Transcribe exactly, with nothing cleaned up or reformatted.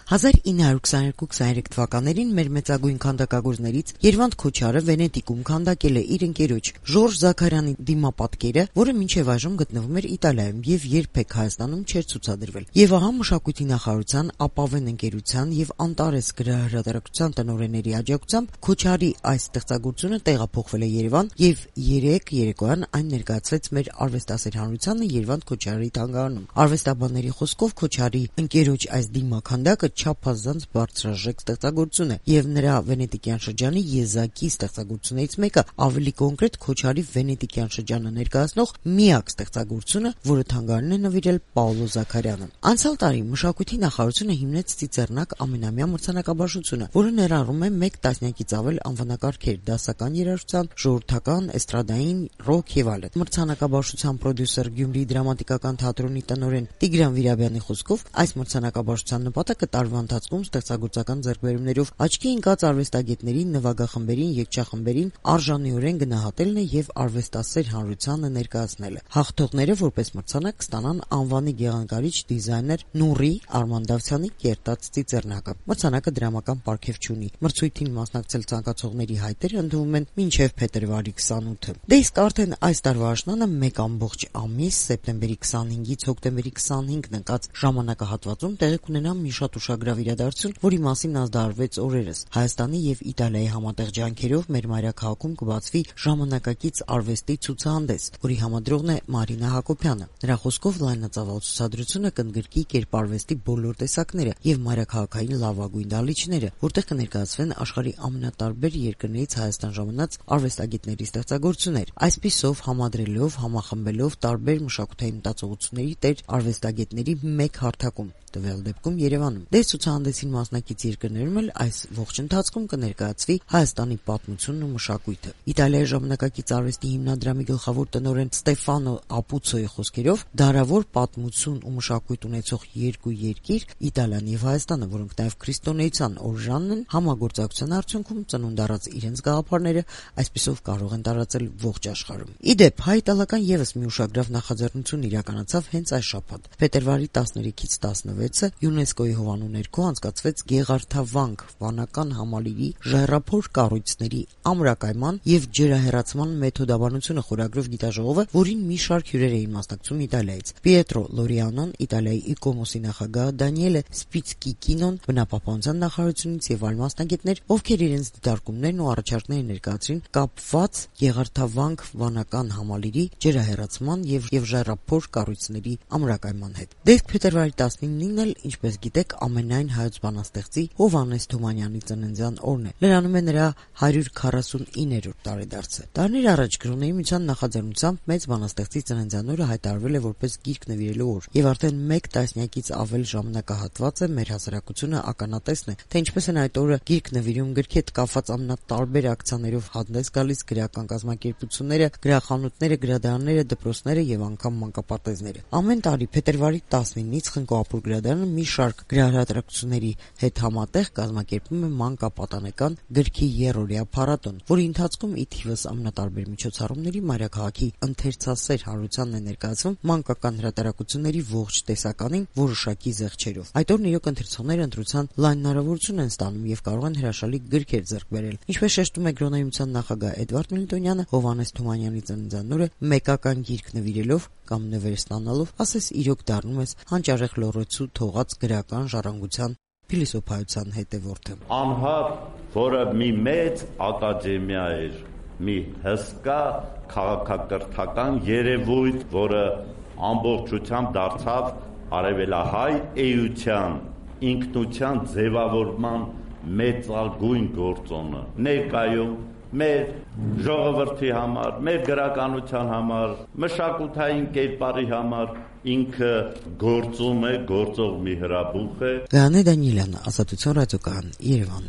հազար ինը հարյուր քսաներկու քսաներեք թվականներին մեր մեծագույն քանդակագործներից Երվանդ Քոչարը Վենետիկում քանդակել է իր ընկերոջ Ժորժ Զաքարյանի դիմապատկերը, որը մինչև այժմ գտնվում էր Իտալիայում եւ երբեք Հայաստանում չէր ցուցադրվել։ Եվ ահա մշակույթի նախարարության, Ապավեն ընկերության եւ Անտարես գրահրատարակության տնօրենների աջակցությամբ Քոչարի այս ստեղծագործությունը տեղափոխվել է Երևան եւ երեք երեկոյան այն ներկայացվեց մեր արվեստասեր հանրությանը Երվանդ Քոչարի թանգարանում։ Արվեստաբանների խոսքով Քոչարի ընկերոջ այս դիմաքանդակը չափազանց բարձրաժեք ստեղծագործություն է եւ նրա վենետիկյան շրջանի եզակի ստեղծագործություններից մեկը, ավելի կոնկրետ Քոչարի վենետիկյան շրջանը ներկայացնող միակ ստեղծագործությունը, որը թանգարանն է նվիրել Պաոլո Զաքարյանը։ Անցյալ տարի մշակույթի նախարարությունը հիմնեց Ծիծեռնակ ամենամյա մրցանակաբաշխությունը, որը ներառում է մեկ տասնյակից ավել անվանակարգեր դասական երաժշտության, ժողովրդական, էստրադային, ռոք եւ այլն։ Մրցանակաբաշխության պրոդյուսեր Գյումրիի դրամատիկական թատրոնի տնօրեն Տիգրան Վիրաբյանի խոսքով այս մրցանակաբաշխության նպատակը տարվա ընթացքում ստեղծագործական ձեռքբերումներով աչքի ընկած արվեստագետներին, նվագախմբերին, երգչախմբերին արժանիորեն գնահատելն է եւ արվեստասեր հանրությանը ներկայացնելը։ Հաղթողները որպես մրցանակ կստանան անվանի գեղանկարիչ դիզայներ Նուրի Արմանդավցյանի կերտած Ծիծեռնակը։ Մրցանակը դրամական պարգև չունի։ Մրցույթին մասնակցել ցանկացողների հայտերը ընդունվում են մինչև փետրվարի քսանութը։ Դե իսկ արդեն այս տարվա աշնանը մեկ ամբողջ ամիս սեպտեմբերի քսանհինգից հոկտեմբերի քսանհինգն ընկած ժամանակահատվածում տեղի կունենա մի շատ ուշագրավ իրադարձություն, որի մասին ազդարարվեց օրերս։ Հայաստանի եւ Իտալիայի համատեղ ջանքերով մեր մայրաքաղաքում կբացվի ժամանակակից արվեստի ցուցահանդես, որի համադրողն է Մարինա Հակոբյանը։ Նրա խոսքով լայնածավալ ցուցադրությունը կընդգրկի կերպարվեստի բոլոր տեսակները եւ մայրաքաղաքային լավագույն դահլիճները, որտեղ կներկայացվեն աշխարհի ամենատարբեր երկրներից Հայաստան ժամանած արվեստագետների ստեղծագործություններ։ Այսպիսով համադրելով, համախմբելով տարբեր մշակութային մտածողությունների տեր արվեստագետների մեկ հարթակում, տվյալ դեպքում Երևանում։ Դե ցուցահանդեսին մասնակից երկրներում էլ այս ողջ ընթացքում կներկայացվի Հայաստանի պատմությունն ու մշակույթը։ Իտալիայի ժամանակակից արվեստի հիմնադրամի գլխավոր տնօրեն Ստեֆանո Ապուցոյի խոսքերով դարավոր պատմություն ու մշակույթ ունեցող երկու երկիր Իտալիան եւ Հայաստանը, որոնք նաեւ քրիստոնեության օրժանն են, համագործակցության արդյունքում ծնունդ առած իրենց գաղափարները այսպիսով կարող են տարածել ողջ աշխարհում։ Իդեպ հայ-իտալական եւս մի ուշագրավ նախաձեռնություն իրականացավ հենց այս շաբաթ։ Փետրվարի տասներեքից տասնվեցը ՅՈՒՆԵՍԿՕ-ի հովանու ներքո անցկացվեց Գեղարդավանք վանական համալիրի ժայռափոր կառույցների ամրակայման եւ ջրահեռացման մեթոդաբանությունը խորագրով գիտաժողովը, որին մի շարք հյուրեր էին մասնակցում Իտալիայից։ Պիետրո Լորիանոն, Իտալիայի Իկոմոսի նախագահ Դանիելե Սպիցկիկինոն, բնապահպանության նախարարությունից եւ այլ մասնագետներ, ովքեր իրենց դիտարկումներն ու առաջարկները ներկայացրին կապված Գեղարդավանք վանական համալիրի ջրահեռացման եւ եւ ժայռափոր կառույցների ամրակայման հետ։ Դեպք փետրվարի տասնինին էլ, ինչպես գիտեք, ամենայն հայոց բանաստեղծի Հովհաննես Թումանյանի ծննդյան օրն է։ Լրանում է նրա հարյուր քառասունիներորդ տարեդարձը։ Տարիներ առաջ Գրոնեի միության նախաձեռնությամբ մեծ բանաստեղծի ծննդյան օրը հայտարարվել է որպես գիրք նվիրելու օր, եւ արդեն մեկ տասնյակից ավել ժամանակահատված է մեր հասարակությունը ականատեսն է, թե ինչպես են այդ օրը գիրք նվիրում, գրքի հետ կապված ամենատարբեր ակցիաներով հանդես գալիս գրական կազմակերպությունները, գրախանութները, գրադարանները, դպրոցները եւ անգամ մանկապարտեզները։ Ամեն տարի փետրվարի տասնինից Խնկո-Ապուր գրադարանը մի շարք գրահրատարակությունների հետ համատեղ կազմակերպում է մանկապատանեկան գրքի երրորդյա փառատոն, որի ընթացքում ի թիվս ամենատարբեր միջոցառումների մայրաքաղաքի ընթերցասեր հանրությանն է ներկայացվում մանկական հրատարակությունների ողջ տեսականին որոշակի զեղչերով։ Այդ օրն իրոք ընթերցողները ընտրության լայն հնարավորություն են ստանում եւ կարող են հրաշալի գրքեր ձեռք բերել։ Ինչպես շեշտում է Գրոնեի միության նախագահ Էդվարդ Միլիտոնյանը, Հովհաննես Թումանյանի ծննդյան օրը մեկական գիրք նվիրելով կամ նվեր ստանալով, ասես իրոք դառնում ես հանճարեղ լոռոցու թողած գրական ժառանգության փիլիսոփայության հետևորդը։ Անհատ, որը մի մեծ ակադեմիա էր, մի հսկա քաղաքակրթական երևույթ, որը ամբողջությամբ դարձավ արևելահայ էության, ինքնության ձևավորման մեծարգույն գործոնը։ Ներկայում մեր ժողովրդի համար, մեր գրականության համար, մշակութային կերպարի համար ինքը գործում է, գործող մի հրաբուխ է։ Գայանե Դանիելյան, Ազատություն ռադիոկայան, Երևան։